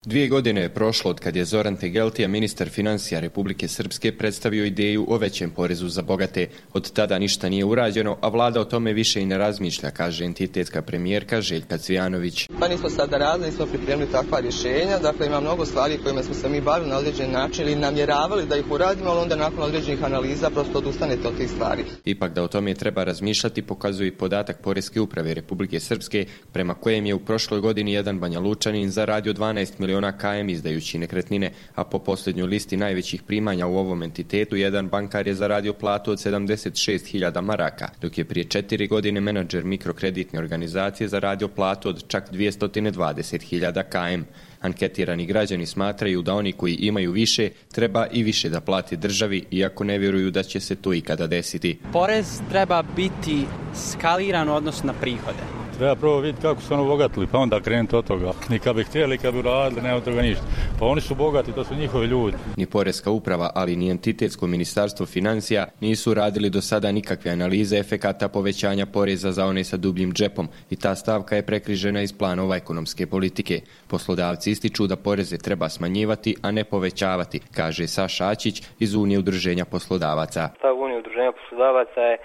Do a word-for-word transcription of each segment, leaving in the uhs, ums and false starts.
Dvije godine je prošlo od kad je Zoran Tegeltija, ministar financija Republike Srpske, predstavio ideju o većem porezu za bogate. Od tada ništa nije urađeno, a vlada o tome više i ne razmišlja, kaže entitetska premijerka Željka Cvijanović. Pa nismo sada radili, nismo pripremili takva rješenja, dakle ima mnogo stvari kojima smo se mi bavili na određen način ili namjeravali da ih uradimo, ali onda nakon određenih analiza prosto odustanete od tih stvari. Ipak da o tome treba razmišljati pokazuje i podatak Poreske uprave Republike Srpske, prema kojem je u prošloj godini jedan Banja Lučanin zaradio dvanaest miliona km izdajući nekretnine, a po posljednjoj listi najvećih primanja u ovom entitetu jedan bankar je zaradio platu od sedamdeset šest hiljada maraka, dok je prije četiri godine menadžer mikrokreditne organizacije zaradio platu od čak dvjesto dvadeset hiljada km. Anketirani građani smatraju da oni koji imaju više treba i više da plati državi, iako ne vjeruju da će se to ikada desiti. Porez treba biti skaliran u odnosu na prihode. Treba prvo vidjeti kako su ono bogatili, pa onda krenuti od toga. Ni kad bi htjeli, kad bi radili, nema od toga ništa. Pa oni su bogati, to su njihovi ljudi. Ni Poreska uprava, ali ni entitetsko ministarstvo financija nisu radili do sada nikakve analize efekata povećanja poreza za one sa dubljim džepom i ta stavka je prekrižena iz planova ekonomske politike. Poslodavci ističu da poreze treba smanjivati, a ne povećavati, kaže Saša Ačić iz Unije udruženja poslodavaca. Stav Unije udruženja poslodavaca je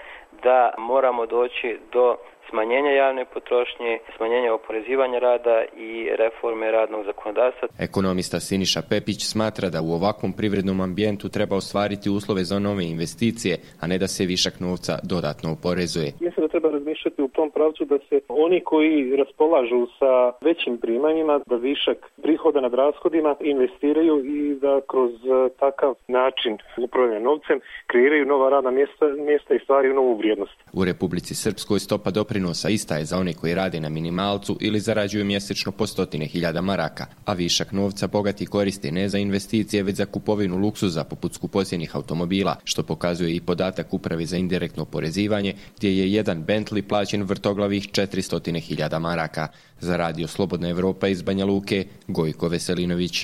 da moramo doći do smanjenja javne potrošnje, smanjenja oporezivanja rada i reforme radnog zakonodavstva. Ekonomista Siniša Pepić smatra da u ovakvom privrednom ambijentu treba ostvariti uslove za nove investicije, a ne da se višak novca dodatno oporezuje. Mislim da treba razmišljati u tom pravcu da se oni koji raspolažu sa većim primanjima, da višak prihoda nad rashodima investiraju i da kroz takav način upravljanja novcem kreiraju nova radna mjesta, mjesta i stvaraju novu vrijednost. U Republici Srpskoj stopa doprinosa ista je za one koji rade na minimalcu ili zarađuju mjesečno po stotine hiljada maraka, a višak novca bogati koriste ne za investicije, već za kupovinu luksuza poput skupocjenih automobila, što pokazuje i podatak Uprave za indirektno oporezivanje, gdje je jedan Bentley plaćen vrtoglavih četiristo hiljada maraka. Za Radio Slobodna Evropa iz Banja Luke, Gojko Veselinović.